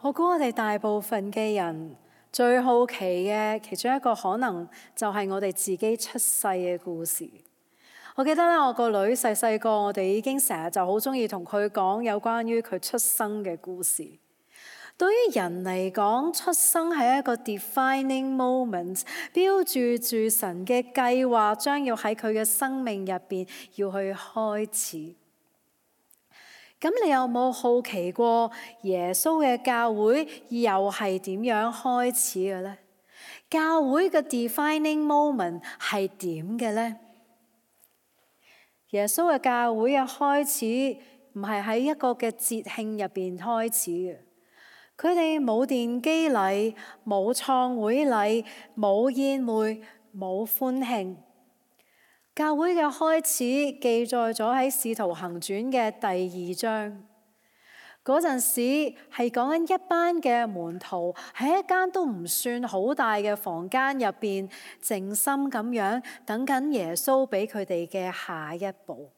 我估我哋大部分嘅人最好奇嘅其中一個可能就係我哋自己出世嘅故事。我記得咧，我個女細細個，我哋已經成日就好鍾意同佢講有關於佢出生嘅故事。對於人嚟講，出生係一個 defining moment， 標註住神嘅計劃將要喺佢嘅生命入邊要去開始。咁你有冇好奇過耶穌嘅教會又係點樣開始嘅呢？教會嘅 defining moment 係點嘅呢？耶穌嘅教會嘅開始唔係喺一個嘅節慶入邊開始嘅，佢哋冇奠基禮、冇創會禮、冇宴會、冇歡慶。教會嘅開始記載咗喺《使徒行傳》嘅第2章，嗰陣時係講緊一班嘅門徒喺一間都唔算好大嘅房間入邊，靜心咁樣等緊耶穌俾佢哋嘅下一步。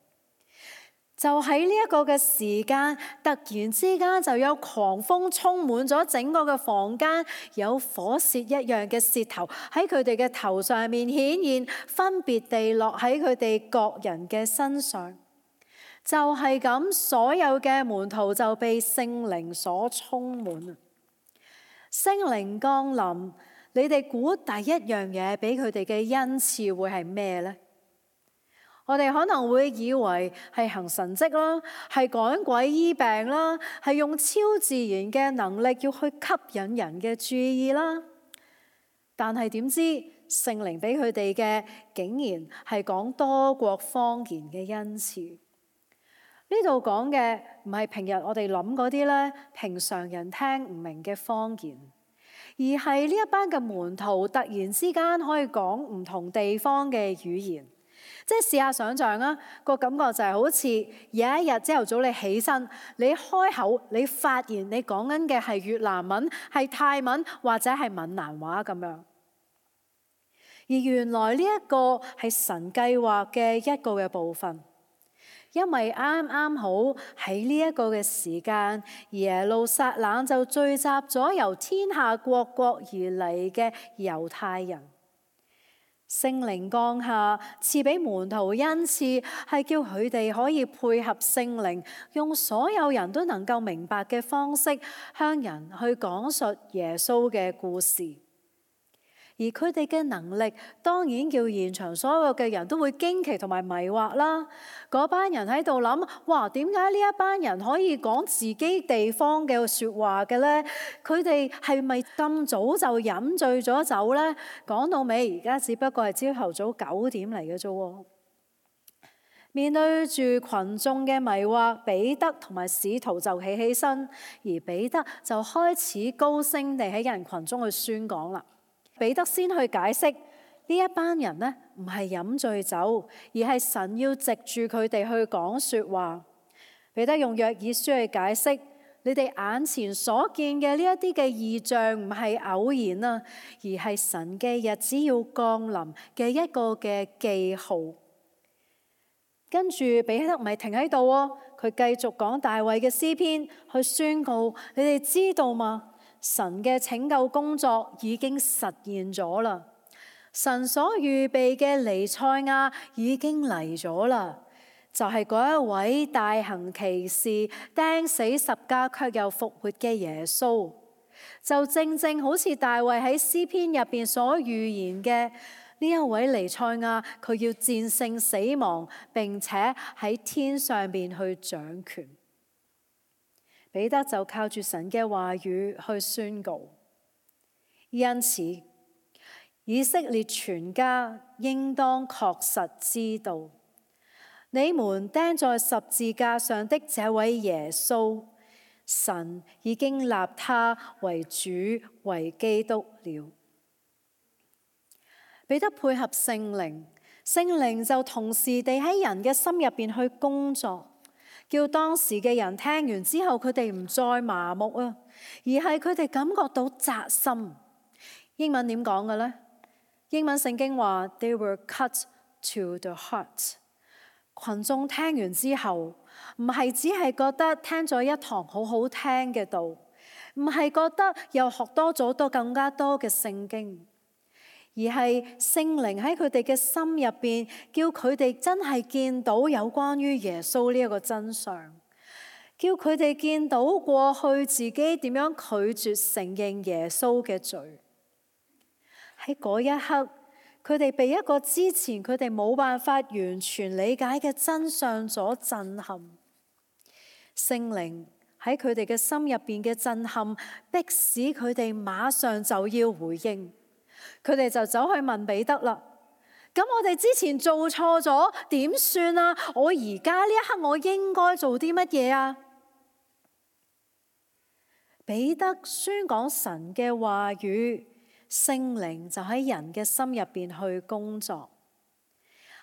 就喺呢一個嘅時間，突然之間就有狂風充滿咗整個嘅房間，有火舌一樣嘅舌頭喺佢哋嘅頭上面顯現，分別地落喺佢哋各人嘅身上。就係咁，所有嘅門徒就被聖靈所充滿。聖靈降臨，你哋估第一樣嘢俾佢哋嘅恩賜會係咩呢？我哋可能會以為係行神蹟啦，係趕鬼醫病啦，係用超自然嘅能力要去吸引人嘅注意啦。但係點知聖靈俾佢哋嘅竟然係講多國方言嘅恩賜。呢度講嘅唔係平日我哋諗嗰啲咧，平常人聽唔明嘅方言，而係呢一班嘅門徒突然之間可以講唔同地方嘅語言。即係試下想像啊，個感覺就係好似有一日朝頭早你起身，你開口，你發現你講緊嘅係越南文、係泰文或者係閩南話咁樣。而原來呢一個係神計劃嘅一個嘅部分，因為啱啱好喺呢一個嘅時間，耶路撒冷就聚集咗由天下各國而嚟嘅猶太人。聖靈降下，賜俾門徒恩賜，係叫佢哋可以配合聖靈，用所有人都能夠明白嘅方式，向人去講述耶穌嘅故事。而佢哋嘅能力，當然叫現場所有嘅人都會驚奇同埋迷惑啦。嗰班人喺度諗：哇，點解呢一班人可以講自己地方嘅説話嘅呢？佢哋係咪咁早就飲醉咗酒呢？講到尾，而家只不過係朝頭早9點嚟嘅啫。面對住群眾嘅迷惑，彼得同埋使徒就起身，而彼得就開始高聲地喺人群中去宣講啦。彼得先去解釋呢一班人呢，唔係飲醉酒，而係神要藉住佢哋去講說話。彼得用約珥書去解釋，你哋眼前所見嘅呢一啲嘅異象唔係偶然啊，而係神嘅日子要降臨嘅一個嘅記號。跟住彼得唔係停喺度喎，佢繼續講大衛嘅詩篇，去宣告，你哋知道嗎？神嘅拯救工作已經實現咗啦，神所預備嘅彌賽亞已經嚟咗啦，就係嗰一位大行奇事、釘死十架卻又復活嘅耶穌，就正正好似大衛喺詩篇入邊所預言嘅呢一位彌賽亞，佢要戰勝死亡，並且喺天上邊去掌權。彼得就靠住神嘅話語去宣告，因此以色列全家應當確實知道，你們釘在十字架上的這位耶穌，神已經立他為主為基督了。彼得配合聖靈，聖靈就同時地喺人嘅心入邊去工作。叫當時嘅人聽完之後，佢哋唔再麻木啊，而係佢哋感覺到扎心。英文點講嘅呢？英文聖經話 They were cut to the heart。群眾聽完之後，唔係只係覺得聽咗一堂好好聽嘅道，唔係覺得又學多咗更加多嘅聖經，而係聖靈喺佢哋嘅心入邊，叫佢哋真係見到有關於耶穌呢一個真相，叫佢哋見到過去自己點樣拒絕承認耶穌嘅罪。喺嗰一刻，佢哋被一個之前佢哋冇辦法完全理解嘅真相所震撼。聖靈喺佢哋嘅心入邊嘅震撼，迫使佢哋馬上就要回應。佢哋就走去問彼得啦。咁我哋之前做錯咗點算啊？我而家呢一刻我應該做啲乜嘢啊？彼得宣講神嘅話語，聖靈就喺人嘅心入邊去工作。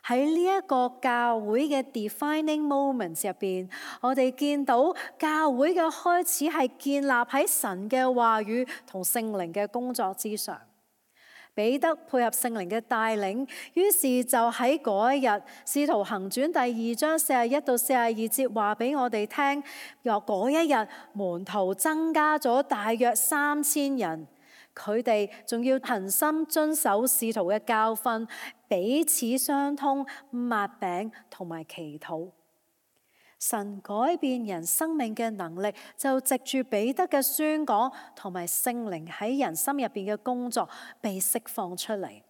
喺呢一個教會嘅 defining moments 入邊，我哋見到教會嘅開始係建立喺神嘅話語同聖靈嘅工作之上。彼得配合聖靈嘅帶領，於是就喺嗰一日《使徒行傳》第2章41到42節話俾我哋聽，由嗰一日門徒增加咗大約3000人，佢哋仲要恆心遵守使徒嘅教訓，彼此相通，擘餅同埋祈禱。神改變人生命嘅能力，就藉住彼得嘅宣講同埋聖靈喺人心入邊嘅工作被釋放出嚟。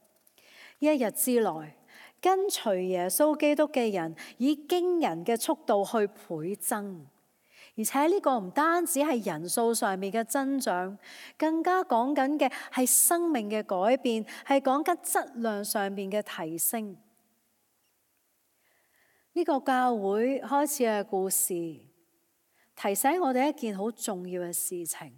一日之內，跟隨耶穌基督嘅人以驚人嘅速度去倍增，而且呢個唔單止係人數上面嘅增長，更加講緊嘅係生命嘅改變，係講緊質量上面嘅提升。呢個教會開始嘅故事，提醒我哋一件好重要嘅事情，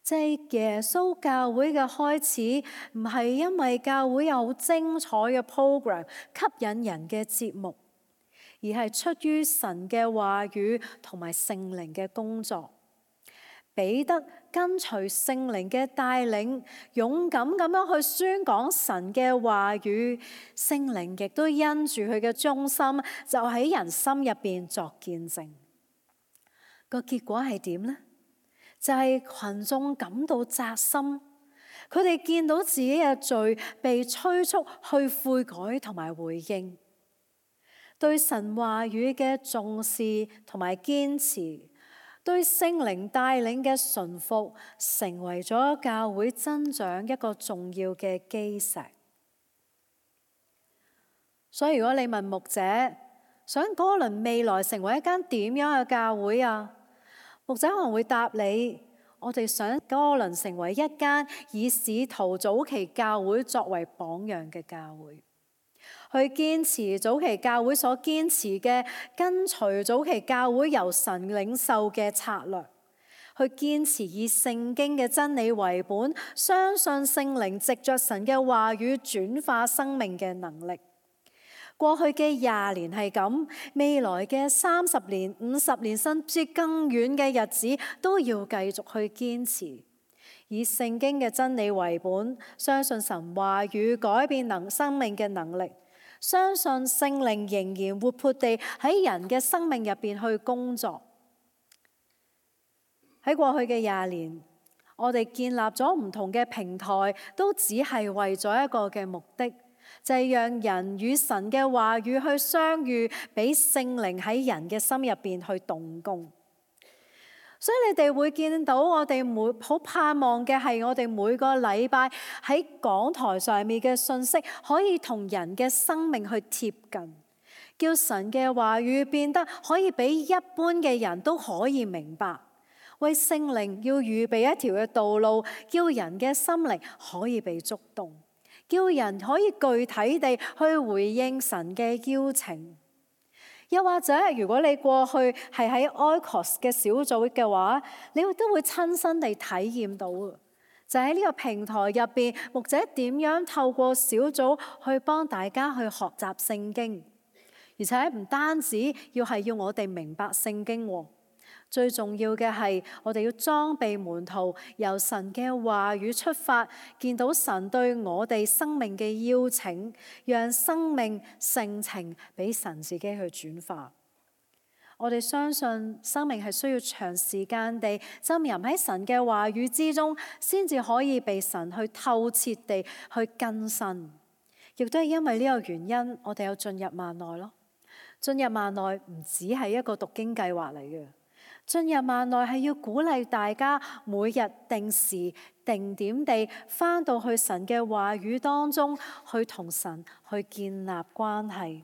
就係耶穌教會嘅開始，唔係因為教會有好精彩嘅 program 吸引人嘅節目，而係出於神嘅話語同埋聖靈嘅工作。彼得跟隨聖靈嘅帶領，勇敢咁樣去宣講神嘅話語，聖靈亦都因住佢嘅忠心，就喺人心入邊作見證。個結果係點呢？就係群眾感到扎心，佢哋見到自己嘅罪被催促去悔改同埋回應，對神話語嘅重視同埋堅持，對聖靈帶領嘅順服，成為咗教會增長一個重要嘅基石。所以如果你問牧者，想哥倫未來成為一間點樣嘅教會啊？牧者可能會答你，我哋想哥倫成為一間以使徒早期教會作為榜樣嘅教會，去堅持早期教會所堅持嘅，跟隨早期教會由神領受嘅策略，去堅持以聖經嘅真理為本，相信聖靈藉着神嘅話語轉化生命嘅能力。過去嘅20年係咁，未來嘅30年、50年，甚至更遠嘅日子，都要繼續去堅持，以聖經嘅真理為本，相信神話語改變生命嘅能力，相信聖靈仍然活潑地喺人嘅生命入邊去工作。喺過去嘅20年，我哋建立咗唔同嘅平台，都只係為咗一個嘅目的，就係讓人與神嘅話語去相遇，俾聖靈喺人嘅心入邊去動工。所以你哋會見到我哋好盼望嘅係，我哋每個禮拜喺講台上面嘅信息，可以同人嘅生命去貼近，叫神嘅話語變得可以俾一般嘅人都可以明白，為聖靈要預備一條嘅道路，叫人嘅心靈可以被觸動，叫人可以具體地去回應神嘅邀請。又或者如果你過去係喺 Oikos 嘅小組嘅話，你都會親身地體驗到，就喺呢個平台入邊，牧者點樣透過小組去幫大家去學習聖經，而且唔單止要我哋明白聖經，最重要嘅係我哋要裝備門徒，由神嘅話語出發，見到神對我哋生命嘅邀請，讓生命性情俾神自己去轉化。我哋相信生命係需要長時間地浸淫喺神嘅話語之中，先至可以被神去透徹地去更新。亦都係因為呢個原因，我哋有進入萬內咯。進入萬內唔只係一個讀經計劃嚟嘅，進入萬內係要鼓勵大家每日定時定點地返到去神嘅話語當中，去同神去建立關係。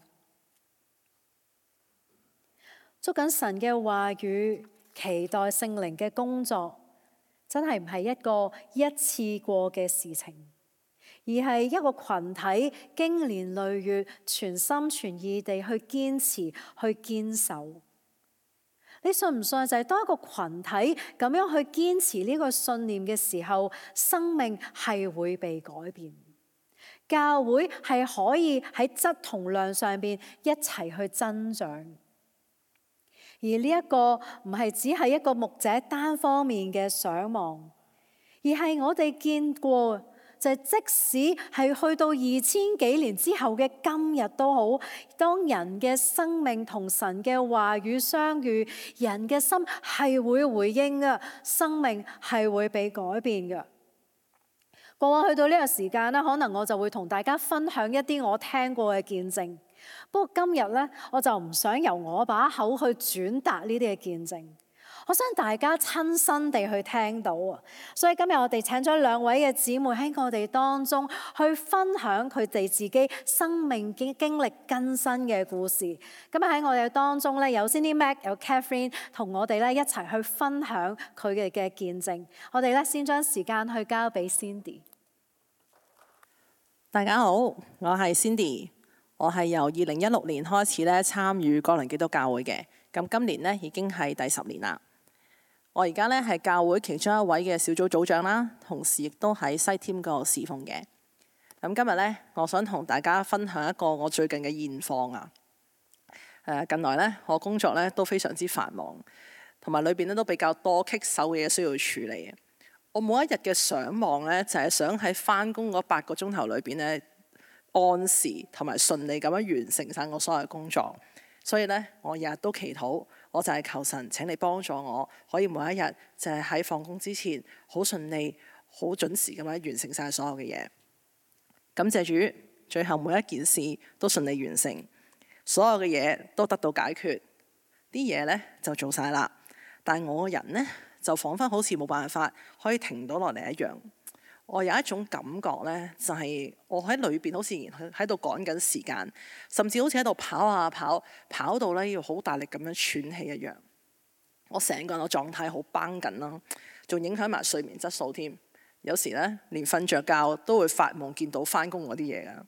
捉緊神嘅話語，期待聖靈嘅工作，真係唔係一個一次過嘅事情，而係一個群體經年累月全心全意地去堅持去堅守。你信唔信就係當一個群體咁樣去堅持呢個信念嘅時候，生命係會被改變，教會係可以喺質同量上邊一齊去增長。而呢一個唔係只係一個牧者單方面嘅想望，而係我哋見過，就係即使係去到2000幾年之後嘅今日都好，當人嘅生命同神嘅話語相遇，人嘅心係會回應嘅，生命係會被改變嘅。過往去到呢個時間咧，可能我就會同大家分享一啲我聽過嘅見證。不過今日咧，我就唔想由我把口去轉達呢啲嘅見證，我想大家親身地去聽到啊！所以今日我哋請咗2位嘅姊妹喺我哋當中去分享佢哋自己生命經歷更新嘅故事。今日喺我哋當中咧，有 Cindy Mac 有 Catherine 同我哋咧一齊去分享佢哋嘅見證。我哋咧先將時間去交俾 Cindy。大家好，我係 Cindy。我係由2016年開始咧參與哥倫基督教會嘅，咁今年咧已經係第10年啦。我而家咧係教會其中一位嘅小組組長啦，同時亦都喺西添嗰度侍奉嘅。咁今日咧，我想同大家分享一個我最近嘅現況啊。近來咧我工作咧都非常之繁忙，同埋裏邊咧都比較多棘手嘅嘢需要處理。我每一日嘅想望咧，就係想喺返工嗰8個鐘頭裏邊咧，按時同埋順利咁樣完成晒我所有嘅工作，所以咧我日日都祈禱，我就係求神請你幫助我，可以每一日就係喺放工之前好順利、好準時咁樣完成晒所有嘅嘢。感謝主，最後每一件事都順利完成，所有嘅嘢都得到解決，啲嘢咧就做晒啦。但係我個人咧就彷彿好似冇辦法可以停到落嚟一樣。我有一種感覺呢，就係我喺裏邊好似喺度趕緊時間，甚至好似喺度跑啊跑到呢要好大力咁樣喘氣一樣。我成個人嘅狀態好繃緊啦，仲影響埋睡眠質素添。有時呢，連瞓着覺都會發夢見到返工嗰啲嘢㗎。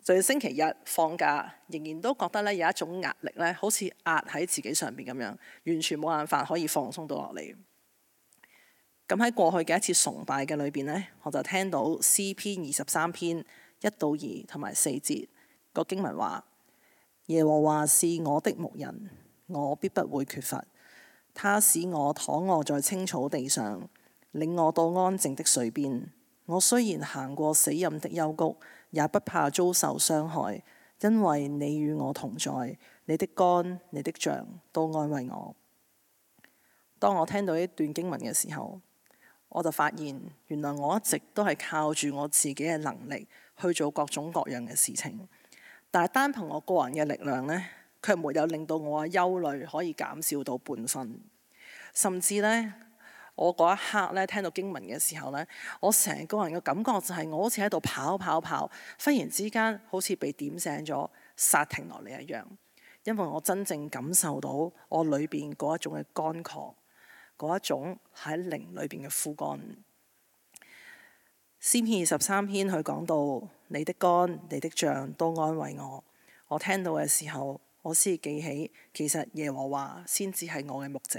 就係星期日放假，仍然都覺得呢有一種壓力呢，好似壓喺自己上邊咁樣，完全冇辦法可以放鬆到落嚟。咁喺過去嘅一次崇拜嘅裏邊呢，我就聽到詩篇23篇1到2同埋4節個經文話：耶和華是我的牧人，我必不會缺乏。他使我躺臥在青草地上，領我到安靜的水邊。我雖然行過死蔭的幽谷，也不怕遭受傷害，因為你與我同在，你的竿、你的杖都安慰我。當我聽到呢段經文嘅時候，我就發現原來我一直都係靠住我自己嘅能力去做各種各樣嘅事情，但係單憑我個人嘅力量呢，卻沒有令到我嘅憂慮可以減少到半分。甚至呢，我嗰一刻呢，聽到經文嘅時候呢，我成個人嘅感覺就係我好似喺度跑，忽然之間好似被點醒咗，剎停落嚟一樣。因為我真正感受到我裏邊嗰一種嘅乾涸，嗰一種喺靈裏邊嘅枯乾。詩篇23篇佢講到你的竿、你的杖都安慰我。我聽到嘅時候，我先記起其實耶和華先至係我嘅牧者。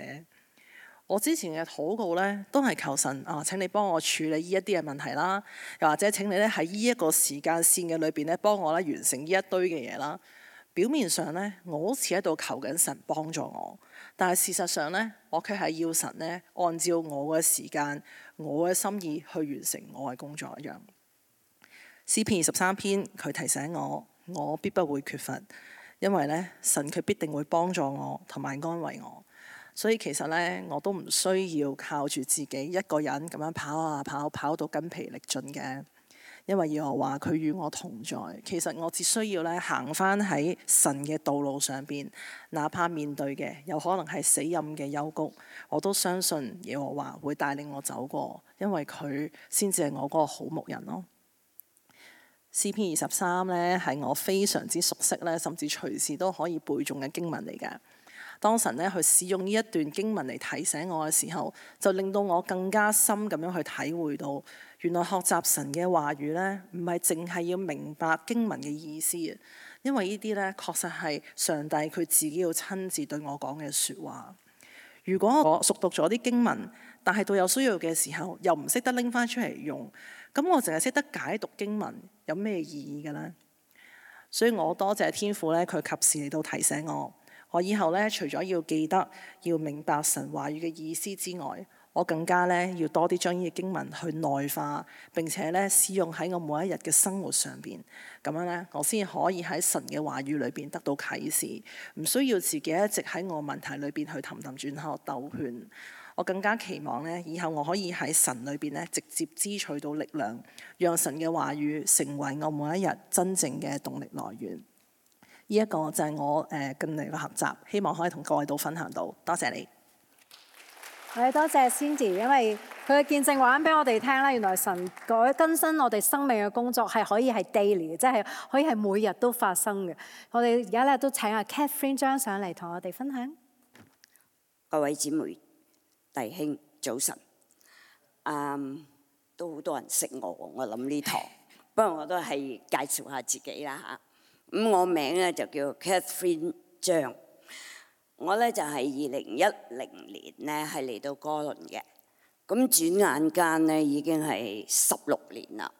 我之前嘅禱告呢，都係求神請你幫我處理呢一啲嘅問題啦，又或者請你咧喺呢一個時間線嘅裏邊咧幫我咧完成呢一堆嘅嘢啦。表面上呢，我好似喺度求緊神幫助我，但係事實上呢，我卻係要神呢按照我嘅時間、我嘅心意去完成我嘅工作一樣。詩篇23篇佢提醒我，我必不會缺乏，因為咧神佢必定會幫助我同埋安慰我。所以其實咧我都唔需要靠住自己一個人咁樣跑啊跑到筋疲力盡嘅。因為耶和華佢與我同在，其實我只需要咧行返喺神嘅道路上邊，哪怕面對嘅有可能係死蔭嘅幽谷，我都相信耶和華會帶領我走過，因為佢先至係我嗰個好牧人咯。詩篇23咧係我非常之熟悉咧，甚至隨時都可以背誦嘅經文嚟㗎。當神咧去使用呢一段經文嚟提醒我嘅時候，就令到我更加深咁樣去體會到，原來學習神嘅話語咧，唔係淨係要明白經文嘅意思啊，因為呢啲咧確實係上帝佢自己要親自對我講嘅説話。如果我熟讀咗啲經文，但係到有需要嘅時候又唔識得拎翻出嚟用，咁我淨係識得解讀經文，有咩意義嘅呢？所以我多謝天父咧，佢及時嚟到提醒我。我以後咧，除咗要記得要明白神話語嘅意思之外，我更加咧要多啲將呢個經文去內化，並且咧使用喺我每一日嘅生活上邊。咁樣咧，我先可以喺神嘅話語裏邊得到啟示，唔需要自己一直喺我問題裏邊去氹氹轉喺度兜圈。我更加期望咧，以後我可以喺神裏邊咧直接支取到力量，讓神嘅話語成為我每一日真正嘅動力來源。呢一個就係我近嚟嘅學習，希望可以同各位都分享到。多謝你。多謝 Cindy， 因為佢嘅見證話俾我哋聽啦，原來神改更新我哋生命嘅工作係可以係 daily 嘅，即係可以係每日都發生嘅。我哋而家咧都請阿 Catherine 張上嚟同我哋分享。各位姊妹弟兄早晨，都好多人識我諗呢堂，不過我都係介紹下自己啦嚇。咁我名咧就叫 Catherine 張，我咧就係2010年咧係嚟到哥倫嘅，咁轉眼間咧已經係16年啦。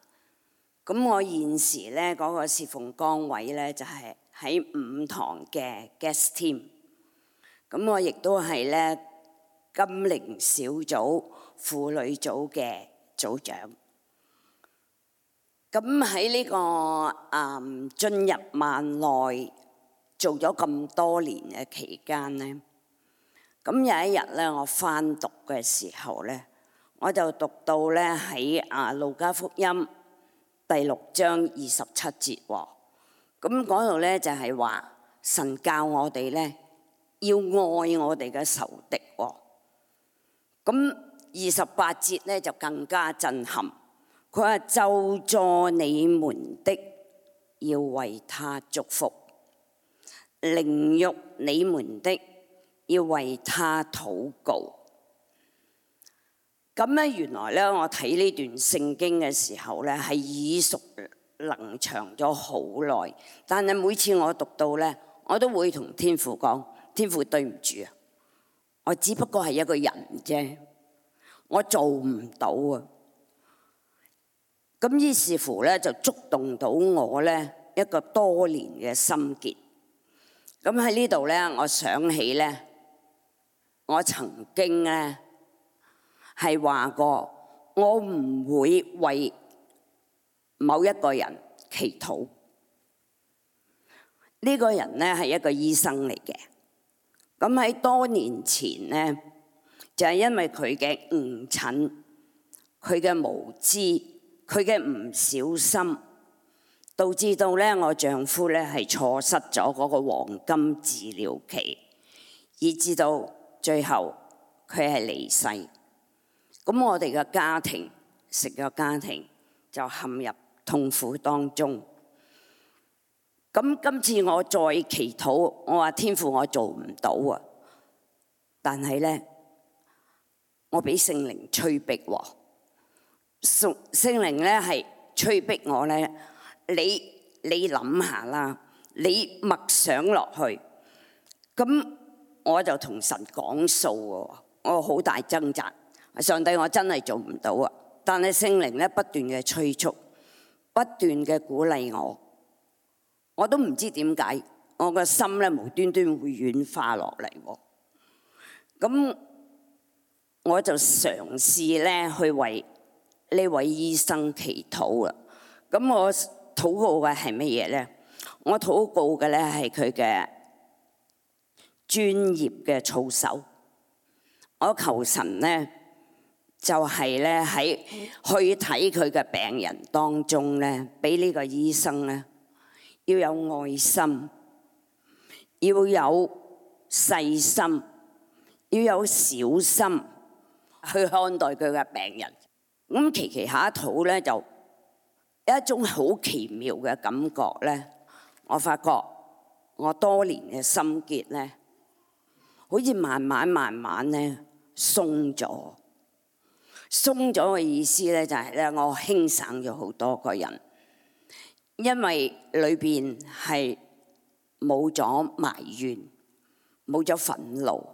咁我現時咧嗰個侍奉崗位咧就係喺5堂嘅 guest team， 咁我亦都係咧金齡小組婦女組嘅組長。咁喺呢個進入萬內做咗咁多年嘅期間咧，咁有一日咧，我翻讀嘅時候咧，我就讀到咧喺路加福音第6章27節喎。咁嗰度咧就係話神教我哋咧要愛我哋嘅仇敵喎。咁28節咧就更加震撼。佢話咒詛你們的，要為他祝福；凌辱你們的，要為他禱告。咁咧，原來咧，我睇呢段聖經嘅時候咧，係耳熟能詳咗好耐。但係每次我讀到咧，我都會同天父講：天父對唔住啊，我只不過係一個人啫，我做唔到啊。咁於是乎咧，就觸動到我咧一個多年嘅心結。咁喺呢度咧，我想起咧，我曾經咧係話過，我唔會為某一個人祈禱。呢個人咧係一個醫生嚟嘅。咁喺多年前咧，就係因為佢嘅誤診，佢嘅無知。佢嘅唔小心，導致到咧我丈夫咧係錯失咗嗰個黃金治療期，以至到最後佢係離世。咁我哋嘅家庭，成個家庭就陷入痛苦當中。咁今次我再祈禱，我話天父我做唔到啊！但係咧，我俾聖靈催逼喎。聖靈咧係催逼我咧，你諗下啦，你默想落去，咁我就同神講數喎，我好大掙扎，上帝我真係做唔到啊！但係聖靈咧不斷嘅催促，不斷嘅鼓勵我都唔知點解，我個心咧無端端會軟化落嚟喎。咁我就嘗試咧去為呢位醫生祈禱啊！咁我禱告嘅係乜嘢咧？我禱告嘅咧係佢嘅專業嘅操守。我求神咧就係咧喺去睇佢嘅病人當中咧，俾呢個醫生咧要有愛心，要有細心，要有小心去看待佢嘅病人。咁期下一禱咧，就有一種好奇妙嘅感覺咧。我發覺我多年嘅心結咧，好似慢慢咧鬆咗。鬆咗嘅意思咧就係咧，我輕省咗好多個人，因為裏邊係冇咗埋怨，冇咗憤怒。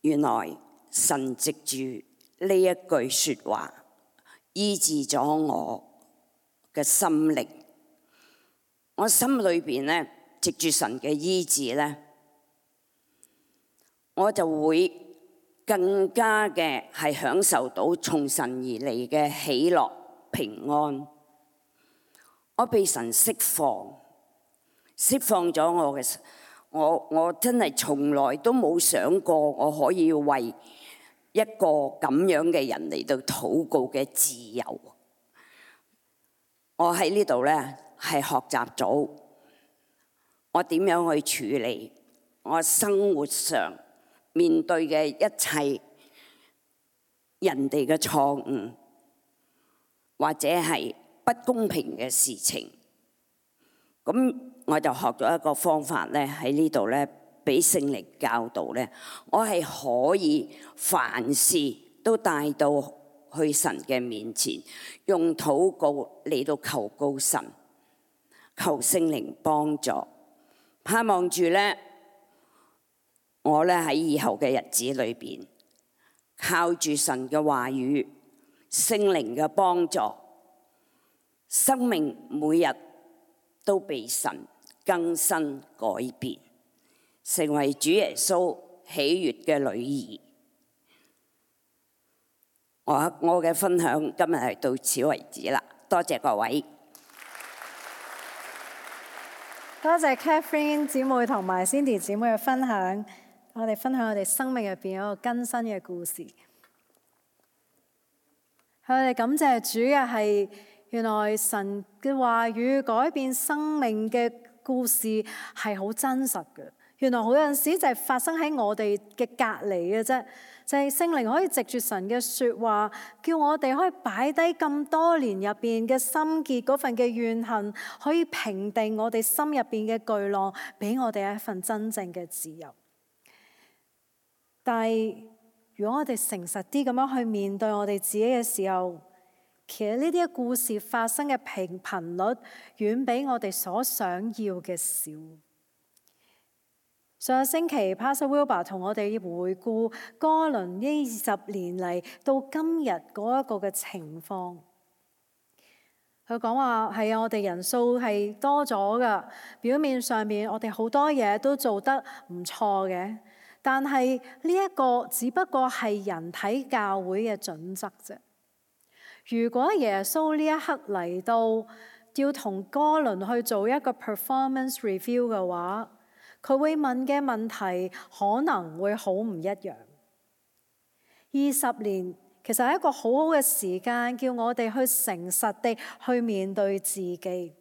原來神藉住呢一句説話醫治咗我嘅心靈。我心裏邊咧藉住神嘅醫治咧，我就會更加嘅係享受到從神而嚟嘅喜樂平安。我被神釋放咗我真係從來都冇想過我可以為一個咁樣嘅人嚟到禱告嘅自由。我喺呢度咧係學習咗我點樣去處理我生活上面對嘅一切人哋嘅錯誤，或者係不公平嘅事情。咁我就學咗一個方法咧，喺呢度咧俾聖靈教導咧，我係可以凡事都帶到去神嘅面前，用禱告嚟到求告神，求聖靈幫助，盼望住咧我咧喺以後嘅日子裏邊，靠住神嘅話語、聖靈嘅幫助，生命每日都被神更新改變，成為主耶穌喜悅嘅女兒。我嘅分享今日係到此為止啦，多謝各位。多謝 Catherine 姊妹同埋 Cindy 姊妹嘅分享，我哋分享我哋生命入邊一個更新嘅故事。我哋感謝主嘅係，原來神嘅話語改變生命嘅故事係好真實嘅。原來好有陣時就係發生喺我哋嘅隔離嘅啫，就係聖靈可以藉住神嘅説話，叫我哋可以擺低咁多年入邊嘅心結嗰份嘅怨恨，可以平定我哋心入邊嘅巨浪，俾我哋一份真正嘅自由。但係如果我哋誠實啲咁樣去面對我哋自己嘅時候，其實呢啲故事發生嘅頻率遠比我哋所想要嘅少。上個星期 Pastor Wilbur 同我哋回顧哥倫呢20年嚟到今日嗰一個嘅情況。佢講話係啊，我哋人數係多咗噶，表面上面我哋好多嘢都做得唔錯嘅，但係呢一個只不過係人睇教會嘅準則啫。如果耶穌呢一刻嚟到要同哥倫去做一個 performance review 嘅話，佢會問嘅問題可能會好唔一樣。20年其實係一個好好嘅時間，叫我哋去誠實地去面對自己。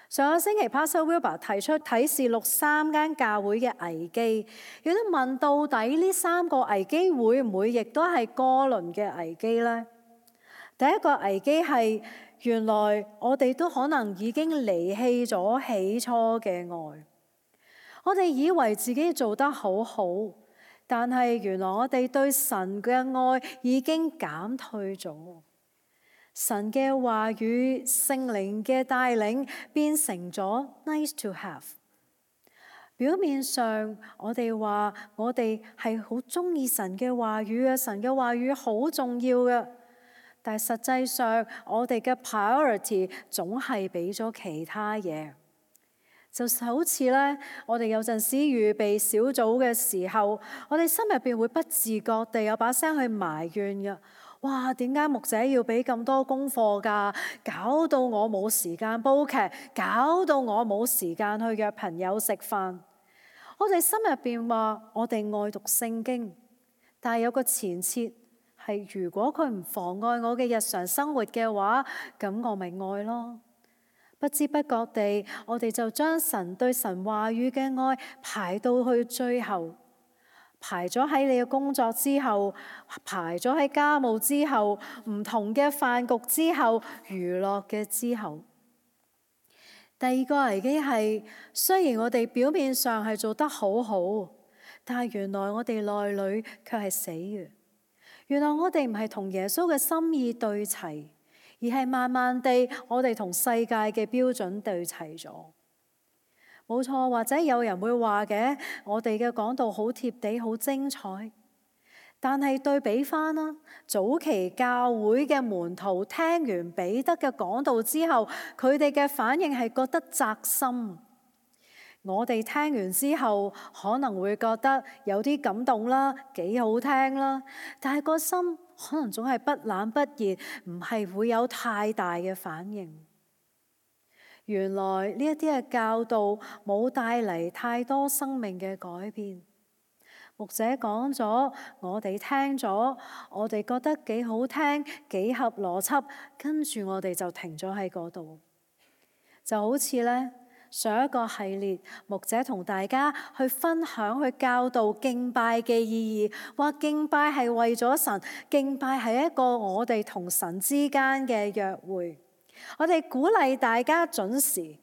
上個星期 Pastor Wilbur 提出啟示錄3間教會嘅危機，亦都問到底呢3個危機會唔會亦都係哥倫嘅危機呢？第一個危機係原來我哋都可能已經離棄咗起初嘅愛。我哋以為自己做得好好，但係原來我哋對神嘅愛已經減退咗。神嘅話語、聖靈嘅帶領變成咗 nice to have。表面上我哋話我哋係好中意神嘅話語嘅，神嘅話語好重要嘅，但係實際上我哋嘅 priority 總係俾咗其他嘢。就好似咧，我哋有陣時預備小組嘅時候，我哋心入邊會不自覺地有把聲去埋怨嘅。哇，點解牧者要俾咁多功課㗎？搞到我冇時間煲劇，搞到我冇時間去約朋友食飯。我哋心入邊話我哋愛讀聖經，但係有個前設係，如果佢唔妨礙我嘅日常生活嘅話，咁我咪愛咯。不知不覺地，我哋就將神對神話語嘅愛排到去最後，排咗喺你嘅工作之後，排咗喺家務之後，唔同嘅飯局之後，娛樂嘅之後。第二個危機係，雖然我哋表面上係做得好好，但係原來我哋內裏卻係死嘅。原來我哋唔係同耶穌嘅心意對齊，而係慢慢地我哋同世界嘅標準對齊咗。冇錯，或者有人會話嘅，我哋嘅講道好貼地，好精彩。但係對比翻啦，早期教會嘅門徒聽完彼得嘅講道之後，佢哋嘅反應係覺得扎心。我哋聽完之後可能會覺得有啲感動啦，幾好聽啦，但係個心可能總係不冷不熱，唔係會有太大嘅反應。原來呢一啲嘅教導冇帶嚟太多生命嘅改變。牧者講咗，我哋聽咗，我哋覺得幾好聽，幾合邏輯，跟住我哋就停咗喺嗰度。就好似呢，上一個系列，牧者同大家去分享、去教導敬拜嘅意義，話敬拜係為咗神，敬拜係一個我哋同神之間嘅約會。我哋鼓勵大家準時。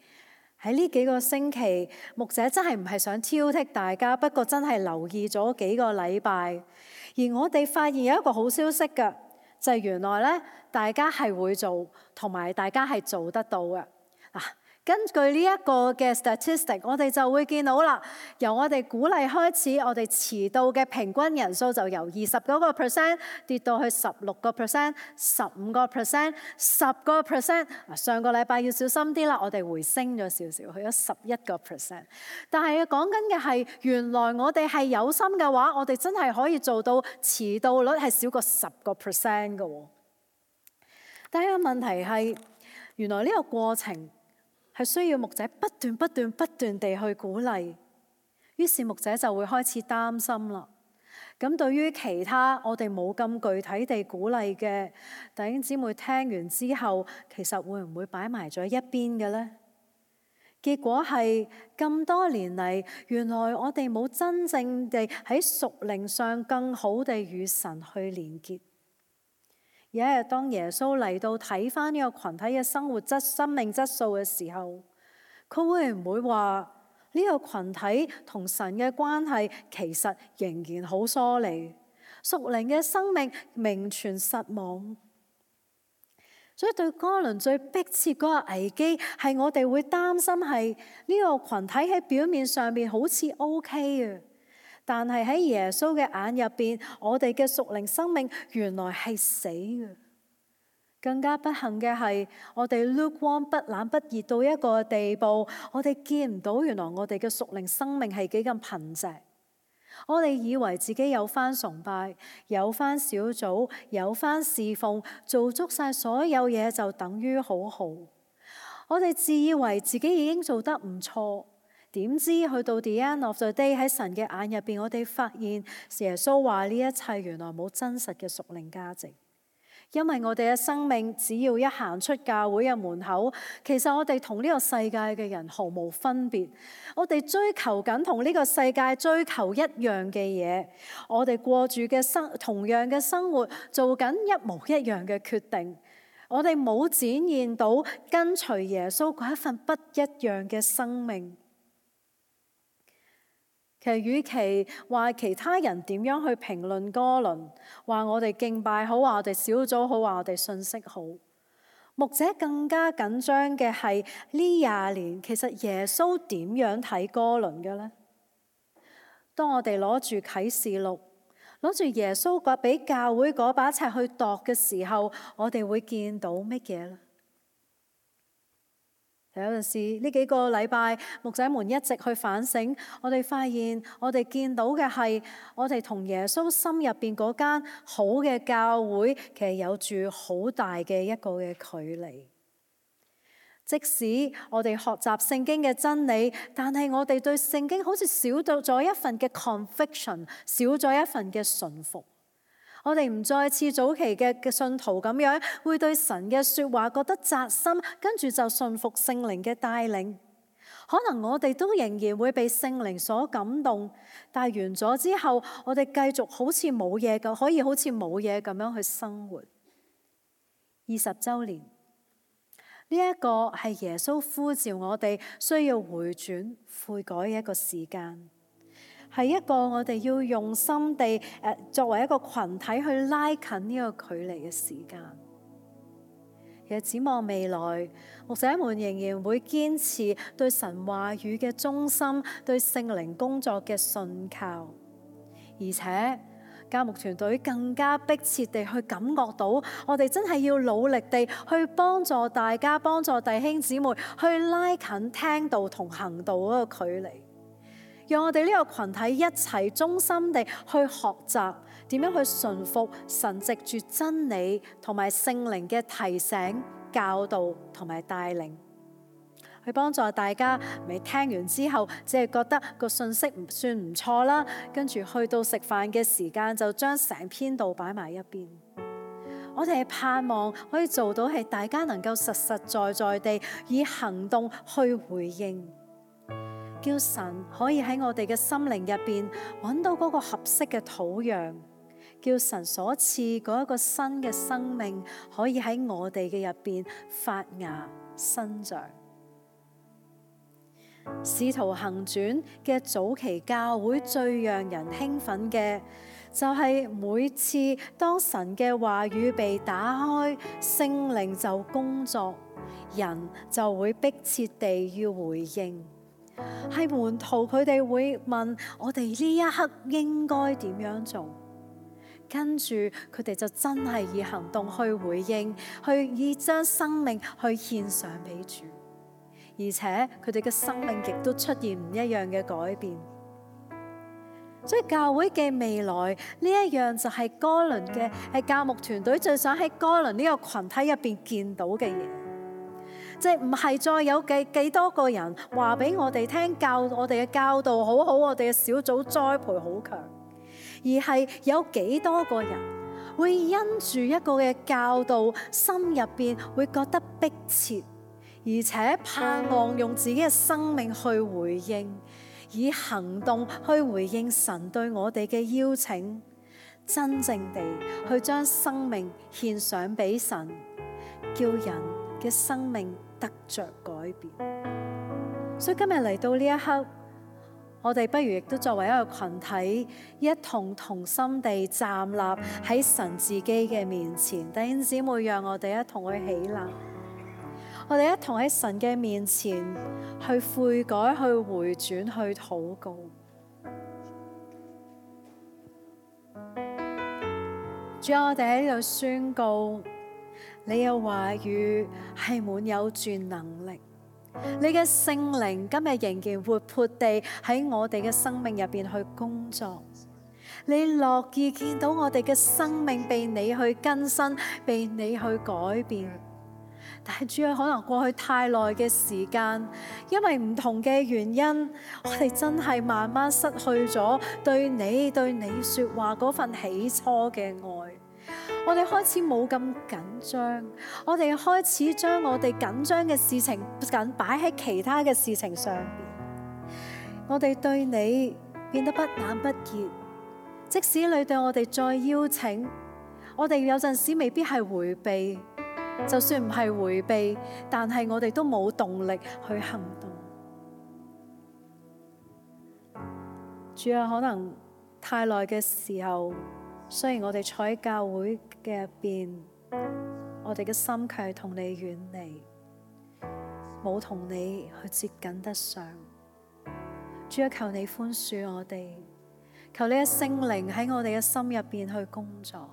喺呢幾個星期，牧者真係唔係想挑剔大家，不過真係留意咗幾個禮拜。而我哋發現有一個好消息嘅，就係原來咧，大家係會做，同埋大家係做得到嘅。根據呢一個嘅 statistic， 我哋就會見到啦，由我哋鼓勵開始，我哋遲到嘅平均人數就由29% 跌到去16%、15%、10%。上個禮拜要小心啲啦，我哋回升咗少少，去咗11%。但係講緊嘅係，原來我哋係有心嘅話，我哋真係可以做到遲到率係少過10% 嘅。但係個問題係，原來呢個過程係需要牧者不斷地去鼓勵，於是牧者就會開始擔心啦。咁對於其他我哋冇咁具體地鼓勵嘅弟兄姊妹，聽完之後其實會唔會擺埋咗一邊嘅呢？結果係咁多年嚟，原來我哋冇真正地喺屬靈上更好地與神去連結。有一日，當耶穌嚟到睇返呢個群體嘅生命質素嘅時候，佢會唔會話呢個群體同神嘅關係其實仍然好疏離，屬靈嘅生命名存實亡？所以對哥倫最迫切嗰個危機係我哋會擔心係呢個群體喺表面上面好似 OK 嘅。但係喺耶穌嘅眼入邊，我哋嘅屬靈生命原來係死嘅。更加不幸嘅係，我哋 lukewarm 不冷不熱到一個地步，我哋見唔到原來我哋嘅屬靈生命係幾咁貧瘠。我哋以為自己有返崇拜，有返小組，有返侍奉，做足晒所有嘢就等於好好。我哋自以為自己已經做得唔錯。點知去到 the end of the day， 喺神嘅眼入邊，我哋發現耶穌話呢一切原來冇真實嘅屬靈價值，因為我哋嘅生命只要一行出教會嘅門口，其實我哋同呢個世界嘅人毫無分別。我哋追求緊同呢個世界追求一樣嘅嘢，我哋過住嘅同樣嘅生活，做緊一模一樣嘅決定。我哋冇展現到跟隨耶穌嗰一份不一樣嘅生命。其實，與其話其他人點樣去評論哥倫，話我哋敬拜好，話我哋小組好，話我哋信息好，牧者更加緊張嘅係呢20年，其實耶穌點樣睇哥倫嘅呢？當我哋攞住啟示錄，攞住耶穌俾教會嗰把尺去度嘅時候，我哋會見到乜嘢呢？有陣時呢幾個禮拜，牧者們一直去反省，我哋發現我哋見到嘅係我哋同耶穌心入邊嗰間好嘅教會，其實有住好大嘅一個嘅距離。即使我哋學習聖經嘅真理，但係我哋對聖經好似少咗一份嘅 conviction， 少咗一份嘅順服。我哋唔再似早期嘅信徒咁樣，會對神嘅說話覺得扎心，跟住就順服聖靈嘅帶領。可能我哋都仍然會被聖靈所感動，但係完咗之後，我哋繼續好似冇嘢咁，可以好似冇嘢咁樣去生活。20週年呢一個係耶穌呼召我哋需要回轉悔改嘅一個時間。係一個我哋要用心地作為一個群體去拉近呢個距離嘅時間。其實展望未來，牧者們仍然會堅持對神話語嘅忠心，對聖靈工作嘅信靠，而且教牧團隊更加迫切地去感覺到，我哋真係要努力地去幫助大家，幫助弟兄姊妹去拉近聽道同行道嗰個距離。讓我哋呢個群體一齊忠心地去學習點樣去順服神藉住真理同埋聖靈嘅提醒、教導同埋帶領，去幫助大家未聽完之後只係覺得個信息唔算唔錯啦，跟住去到食飯嘅時間就將成篇道擺埋一邊。我哋係盼望可以做到係大家能夠實實在在地以行動去回應，叫神可以喺我哋嘅心靈入邊揾到嗰個合適嘅土壤，叫神所賜嗰一個新嘅生命可以喺我哋嘅入邊發芽生長。使徒行傳嘅早期教會最讓人興奮嘅就係每次當神嘅話語被打開，聖靈就工作，人就會迫切地要回應。係門徒佢哋會問我哋呢一刻應該點樣做，跟住佢哋就真係以行動去回應，去以將生命去獻上俾主，而且佢哋嘅生命亦都出現唔一樣嘅改變。所以教會嘅未來呢一樣就係哥倫嘅係教牧團隊最想喺哥倫呢個群體入邊見到嘅嘢。即係唔係再有幾多個人話俾我哋聽，我哋嘅教導好好，我哋嘅小組栽培好強，而係有幾多個人會因住一個嘅教導，心入邊會覺得迫切，而且盼望用自己嘅生命去回應，以行動去回應神對我哋嘅邀請，真正地去將生命獻上俾神，叫人嘅生命得着改變。所以今日嚟到呢一刻，我哋不如亦都作為一個群體，一同同心地站立喺神自己嘅面前。弟兄姊妹，讓我哋一同去起立，我哋一同喺神嘅面前去悔改、去回轉、去禱告。主啊，我哋喺呢度宣告，你嘅話語係滿有住能力，你嘅聖靈今日仍然活潑地喺我哋嘅生命入邊去工作。你樂意見到我哋嘅生命被你去更新，被你去改變。但係主啊，可能過去太耐嘅時間，因為唔同嘅原因，我哋真係慢慢失去咗對你說話嗰份起初嘅愛。我哋開始冇咁緊張，我哋開始將我哋緊張嘅事情擺喺其他嘅事情上邊。我哋對你變得不冷不熱，即使你對我哋再邀請，我哋有陣時未必係迴避，就算唔係迴避，但係我哋都冇動力去行動。主啊，可能太耐嘅時候，雖然我哋坐喺教會嘅入邊，我哋嘅心卻係同你遠離，冇同你去接近得上。主啊，求你寬恕我哋，求你嘅聖靈喺我哋嘅心入邊去工作。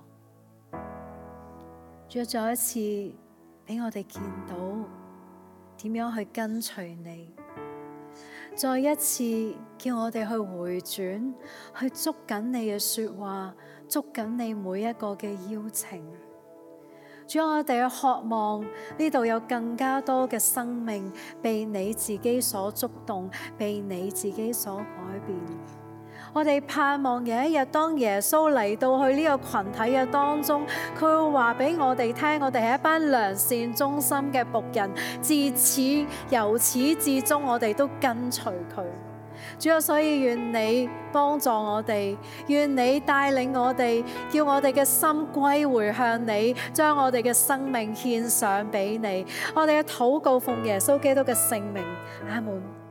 主啊，再一次俾我哋見到點樣去跟隨你。再一次叫我哋去回轉，去捉緊你嘅說話，捉緊你每一個嘅邀請。主，我哋去渴望呢度有更加多嘅生命被你自己所觸動，被你自己所改變。我哋盼望有一日，當耶穌嚟到去呢個群體嘅當中，佢會話俾我哋聽，我哋係一班良善忠心嘅僕人，由始至終我哋都跟隨佢。主啊，所以願你幫助我哋，願你帶領我哋，叫我哋嘅心歸回向你，將我哋嘅生命獻上俾你。我哋嘅禱告奉耶穌基督嘅聖名，阿門。